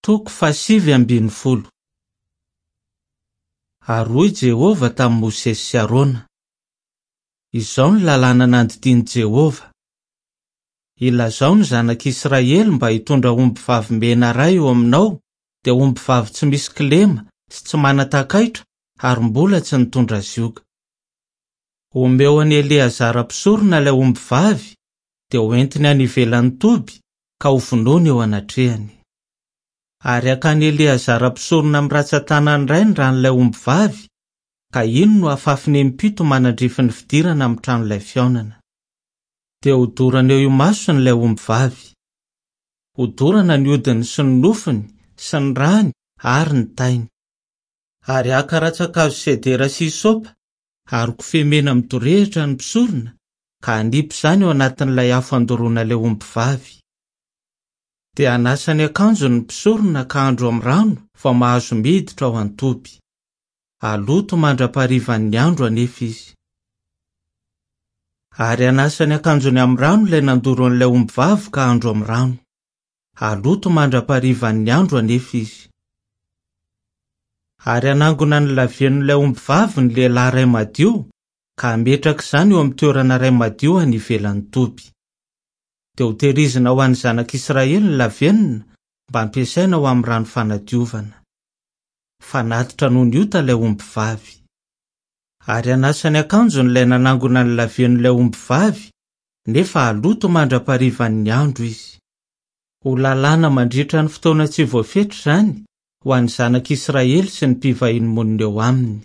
Toko fahasivy ambin'ny folo. Ary hoy Jehovah tamin'i Mosesy sy Arona, Izao ny lalàna nandidian'i Jehovah, Ilazao ny zanak'Israely mba hitondra ombivavy mena iray eo aminao, dia ombivavy tsy misy kilema sy tsy manan-takaitra ary mbola tsy nitondra zioga. Omeo an'i Eleazara mpisorona ilay ombivavy, dia hoentiny any ivelan'ny toby ka hovonoiny eo anatrehany. Ary hakan'i Eleazara mpisorona amin'ny rantsantanany iray ny ran'ilay ombivavy, ka iny no hafafiny impito manandrify ny fidirana amin'ny tranolay fihaonana. Dia hodorana eo imasony ilay ombivavy. Hodorana ny hodiny sy ny nofony sy ny rany ary ny tainy. Ary haka rantsankazo sedera sy hysopa ary kofehy mena midorehitra ny mpisorona ka hanipy izany ao anatin'ilay afo andoroana ilay ombivavy. Dia hanasa ny akanjony ny mpisorona ka handro amin'ny rano vao mahazo miditra ao an-toby. Haloto mandra-paharivan'ny andro anefa izy. Ary hanasa ny akanjony amin'ny rano ilay nandoro an'ilay ombivavy ka handro amin'ny rano. Haloto mandra-paharivan'ny andro anefa izy. Ary hanangona ny lavenon'ilay ombivavy ny lehilahy iray madio ka hametraka izany eo amin'ny toerana iray madio any ivelan'ny toby. Dia hotehirizina ho an'ny zanak'Israely ny lavenona mba hampiasaina ho amin'ny rano fanadiovana. Fanatitra noho ny ota ilay ombivavy. Ary hanasa ny akanjony ilay nanangona ny lavenon'ilay ombivavy, nefa haloto mandra-paharivan'ny andro izy. Ho lalàna mandritra ny fotoana tsy voafetra izany ho an'ny zanak'Israely sy ny mpivahiny monina eo aminy.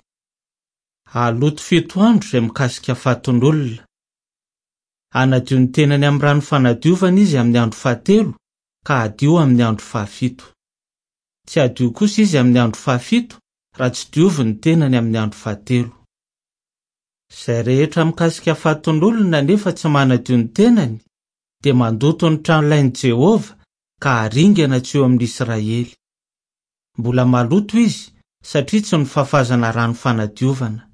Haloto fito andro izay mikasika fatin'olona. Hanadio ny tenany amin'ny rano fanadiovana izy amin'ny andro fahatelo ka hadio amin'ny andro fahafito. Tsy hadio kosa izy amin'ny andro fahafito raha tsy dioviny ny tenany amin'ny andro fahatelo. Izay rehetra mikasika fatin'olona nefa tsy manadio ny tenany dia mandoto ny tranolain'i Jehovah ka haringana tsy eo amin'ny Israely. Mbola maloto izy satria tsy nofafazana rano fanadiovana.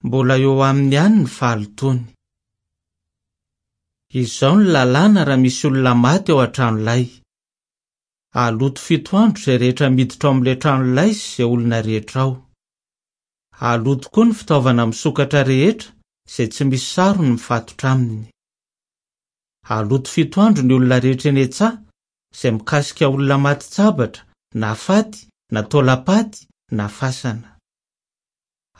Mbola eo aminy ihany ny fahalotoany. Izao ny lalàna raha misy olona maty ao an-tranolay. Haloto fito andro izay rehetra miditra ao amin'ilay tranolay sy izay olona rehetra ao. Haloto koa ny fitaovana misokatra rehetra izay tsy misy sarony mifatotra aminy. Haloto fito andro ny olona rehetra eny an-tsaha izay mikasika olona matin-tsabatra na faty na taolam-paty na fasana.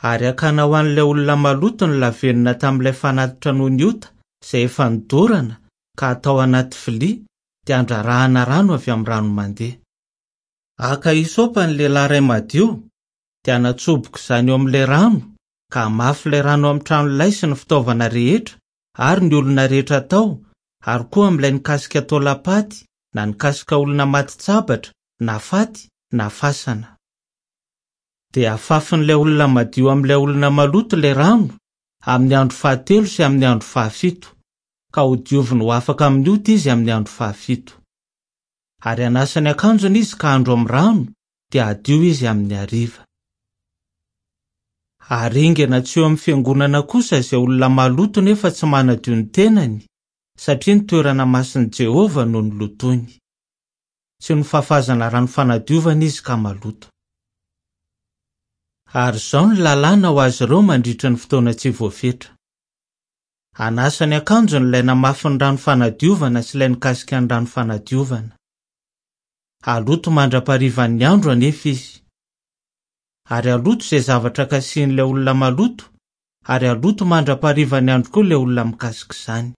Ary hakana ho an'ilay olona maloto ny lavenona tamin'ilay fanatitra noho ny ota izay efa nodorana ka hatao anaty vilia dia handrarahana rano avy amin'ny rano mandeha. Haka hysopa ny lehilahy iray madio dia hanatsoboka izany eo amin'ilay rano ka hamafy ilay rano amin'ny tranolay sy ny fitaovana rehetra ary ny olona rehetra tao ary koa amin'ilay nikasika taolam-paty na nikasika olona matin-tsabatra na faty na fasana. Dia hafafin'ilay olona madio amin'ilay olona maloto ilay rano amin'ny andro fahatelo sy amin'ny andro fahafito, ka hodioviny ho afaka amin'ny ota izy amin'ny andro fahafito. Ary hanasa ny akanjony izy ka handro amin'ny rano, dia hadio izy amin'ny hariva. Haringana tsy eo amin'ny fiangonana kosa izay olona maloto nefa tsy manadio ny tenany, satria ny toerana masin'i Jehovah no nolotoiny. Tsy nofafazana rano fanadiovana izy ka maloto. Ary izao ny lalàna ho azy ireo mandritra ny fotoana tsy voafetra. Hanasa ny akanjony ilay namafy ny rano fanadiovana sy ilay nikasika ny rano fanadiovana. Haloto mandra-paharivan'ny andro anefa izy. Ary haloto izay zavatra kasihin'ilay olona maloto, ary haloto mandra-paharivan'ny andro koa ilay olona mikasika izany.